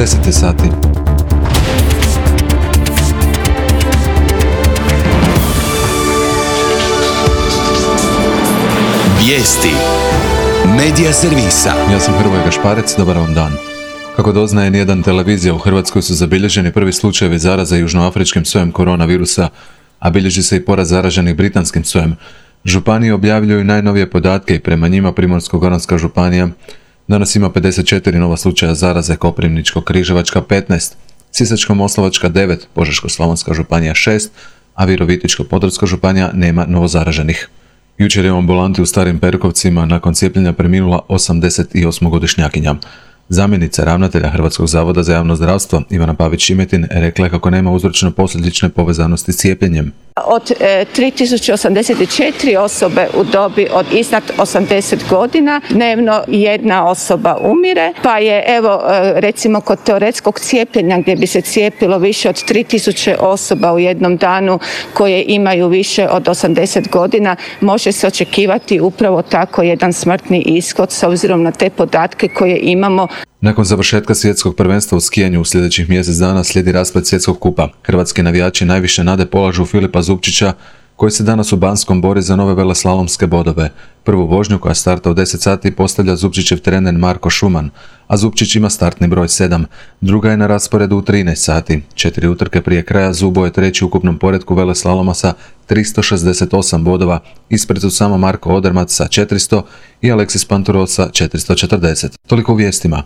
10 sati. Vijesti Medija servisa. Ja sam Hrvoje Gašparec, dobar vam dan. Kako doznaje N1 televizija, u Hrvatskoj su zabilježeni prvi slučajevi zaraze južnoafričkim sojem koronavirusa, a bilježi se i porast zaraženih britanskim sojem. Županije objavljuju najnovije podatke i prema njima Primorsko-goranska županija danas ima 54 nova slučaja zaraze, Koprivničko-križevačka 15, Sisačko-moslavačka 9, Požeško-slavonska županija 6, a Virovitičko-podravska županija nema novozaraženih. Jučer je u ambulanti u Starim Perkovcima nakon cijepljenja preminula 88-godišnjakinja. Zamjenica ravnatelja Hrvatskog zavoda za javno zdravstvo Ivana Pavić-Šimetin rekla je kako nema uzročno-posljedične povezanosti s cijepljenjem. Od 3084 osobe u dobi od iznad 80 godina dnevno jedna osoba umire, pa je recimo kod teoretskog cijepljenja gdje bi se cijepilo više od 3000 osoba u jednom danu koje imaju više od 80 godina, može se očekivati upravo tako jedan smrtni ishod s obzirom na te podatke koje imamo. Nakon završetka svjetskog prvenstva u skijanju u sljedećih mjesec dana slijedi rasplet svjetskog kupa. Hrvatski navijači najviše nade polažu Filipa Zupčića, koji se danas u Banskom bori za nove veleslalomske bodove. Prvu vožnju koja starta u 10 sati postavlja Zupčićev trener Marko Šuman, a Zupčić ima startni broj 7. Druga je na rasporedu u 13 sati. 4 utrke prije kraja Zubo je treći u ukupnom poretku veleslaloma sa 368 bodova. Ispred su samo Marko Odermac sa 400 i Aleksis Panturo sa 440. Toliko u vijestima.